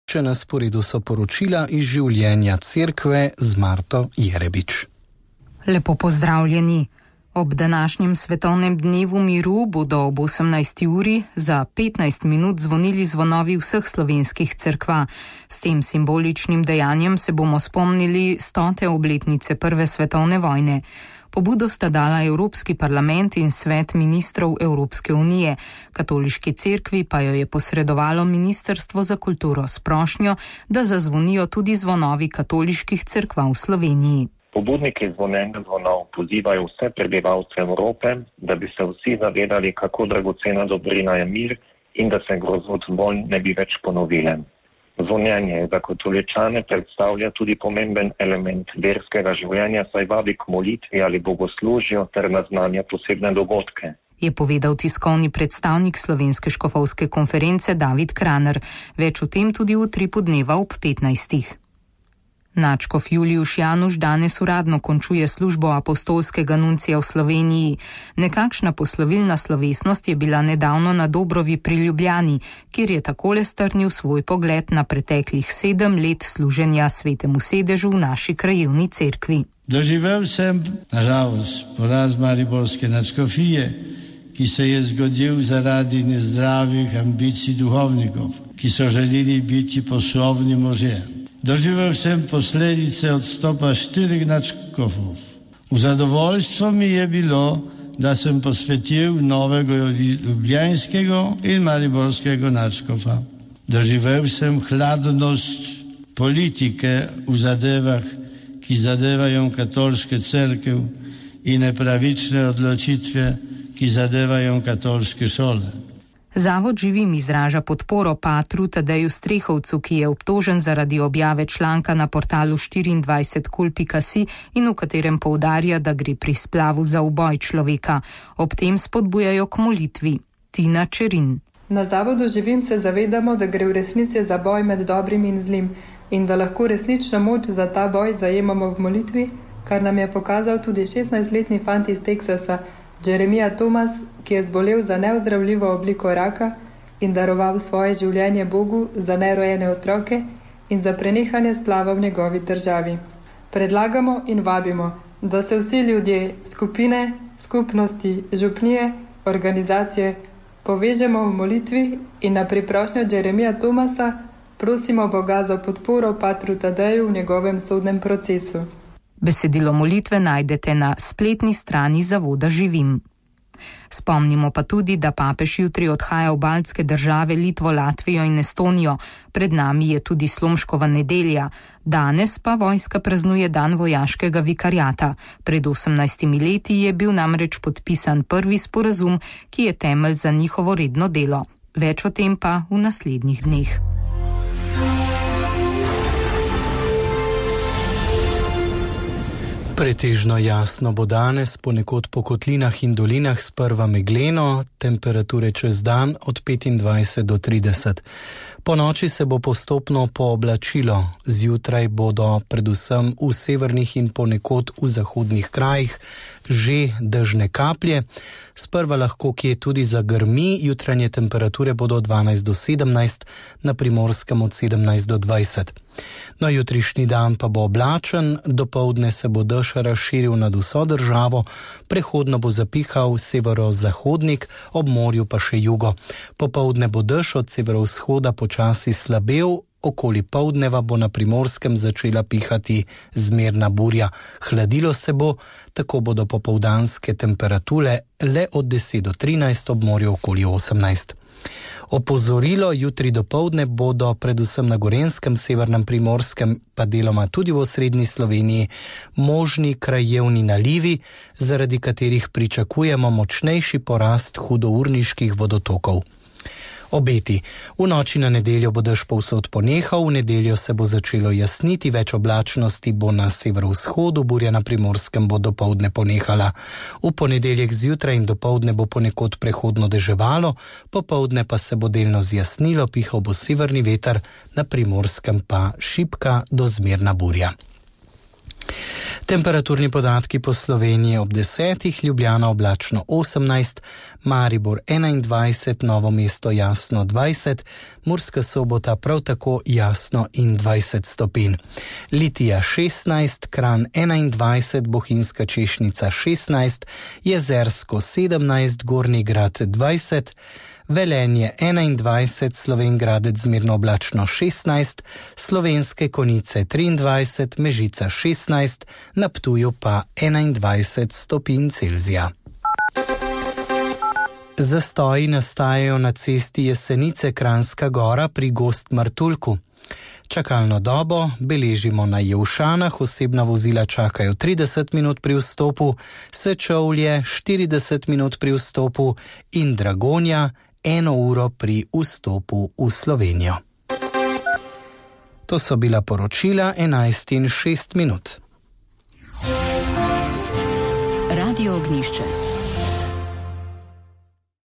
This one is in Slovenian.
Še na sporedu so poročila iz življenja cerkve z Marto Jerebič. Lepo pozdravljeni. Ob današnjem svetovnem dnevu miru bodo ob 18. uri za 15 minut zvonili zvonovi vseh slovenskih cerkva. S tem simboličnim dejanjem se bomo spomnili 100. obletnice Prve svetovne vojne. Pobudo sta dala Evropski parlament in Svet ministrov Evropske unije. Katoliški cerkvi pa jo je posredovalo Ministrstvo za kulturo s prošnjo, da zazvonijo tudi zvonovi katoliških cerkva v Sloveniji. Pobudniki zvonjenja zvonov pozivajo vse prebivalce Evrope, da bi se vsi zavedali, kako dragocena dobrina je mir in da se grozot vojn ne bi več ponovile. Zvonjenje za katoličane predstavlja tudi pomemben element verskega življenja, saj vabi k molitvi ali bogoslužju ter naznanja posebne dogodke. Je povedal tiskovni predstavnik Slovenske škofovske konference David Kraner. Več o tem tudi v Utripu dneva ob 15. Nadškof Julijuš Januš danes uradno končuje službo apostolskega nuncija v Sloveniji. Nekakšna poslovilna slovesnost je bila nedavno na Dobrovi pri Ljubljani, kjer je takole strnil svoj pogled na preteklih 7 let služenja Svetemu sedežu v naši krajevni cerkvi. Doživel sem, nažalost, poraz mariborske nadškofije, ki se je zgodil zaradi nezdravih ambicij duhovnikov, ki so želeli biti poslovni možje. Doživel sem posledice odstopa 4 nadškofov. V zadovoljstvo mi je bilo, da sem posvetil novega ljubljanskega in mariborskega nadškofa. Doživel sem hladnost politike v zadevah, ki zadevajo katoliške cerkev, in nepravične odločitve, ki zadevajo katoliške šole. Zavod Živim izraža podporo patru Tadeju Strehovcu, ki je obtožen zaradi objave članka na portalu 24kul.si in v katerem poudarja, da gre pri splavu za uboj človeka. Ob tem spodbujajo k molitvi. Tina Čerin. Na Zavodu Živim se zavedamo, da gre v resnici za boj med dobrim in zlim in da lahko resnično moč za ta boj zajemamo v molitvi, kar nam je pokazal tudi 16-letni fant iz Teksasa, Jeremija Thomas, ki je zbolel za neozdravljivo obliko raka in daroval svoje življenje Bogu za nerojene otroke in za prenehanje splava v njegovi državi. Predlagamo in vabimo, da se vsi ljudje, skupine, skupnosti, župnije, organizacije povežemo v molitvi in na priprošnjo Jeremija Thomasa prosimo Boga za podporo patru Tadeju v njegovem sodnem procesu. Besedilo molitve najdete na spletni strani Zavoda Živim. Spomnimo pa tudi, da papež jutri odhaja v baltske države Litvo, Latvijo in Estonijo. Pred nami je tudi Slomškova nedelja. Danes pa vojska praznuje dan vojaškega vikariata. Pred 18 leti je bil namreč podpisan prvi sporazum, ki je temelj za njihovo redno delo. Več o tem pa v naslednjih dneh. Pretežno jasno bo danes, ponekod po kotlinah in dolinah sprva megleno, temperature čez dan od 25 do 30. Po noči se bo postopno pooblačilo, zjutraj bodo predvsem v severnih in ponekod v zahodnih krajih že dežne kaplje, sprva lahko kje tudi zagrmi, jutranje temperature bodo od 12 do 17, na Primorskem od 17 do 20. No, jutrišnji dan pa bo oblačen, dopoldne se bo dež razširil nad vso državo, prehodno bo zapihal severozahodnik, ob morju pa še jugo. Popoldne bo dež od severovzhoda počasi slabel, okoli poldneva bo na Primorskem začela pihati zmerna burja. Hladilo se bo, tako bodo popoldanske temperature le od 10 do 13, ob morju okoli 18. Opozorilo, jutri dopoldne bodo predvsem na Gorenjskem, severnem Primorskem, pa deloma tudi v osrednji Sloveniji, možni krajevni nalivi, zaradi katerih pričakujemo močnejši porast hudourniških vodotokov. Obeti. V noči na nedeljo bo dež povsod ponehal, v nedeljo se bo začelo jasniti, več oblačnosti bo na severovzhodu, burja na Primorskem bo dopoldne ponehala. V ponedeljek zjutraj in dopoldne bo ponekod prehodno deževalo, popoldne pa se bo delno zjasnilo, pihal bo severni veter, na Primorskem pa šibka do zmerna burja. Temperaturni podatki po Sloveniji ob 10, Ljubljana oblačno 18, Maribor 21, Novo mesto jasno 20, Murska Sobota prav tako jasno in 20 stopinj. Litija 16, Kranj 21, Bohinjska Češnica 16, Jezersko 17, Gornji Grad 20, Velenje 21, Slovenj Gradec zmerno oblačno 16, Slovenske Konjice 23, Mežica 16, na Ptuju pa 21 stopinj Celzija. Zastoji nastajajo na cesti Jesenice Kranjska Gora pri Gozd Martuljku. Čakalno dobo beležimo na Jelšanah, osebna vozila čakajo 30 minut pri vstopu, Sečovlje 40 minut pri vstopu in Dragonja 1 uro pri vstopu v Slovenijo. To so bila poročila 11:06. Radio Ognjišče.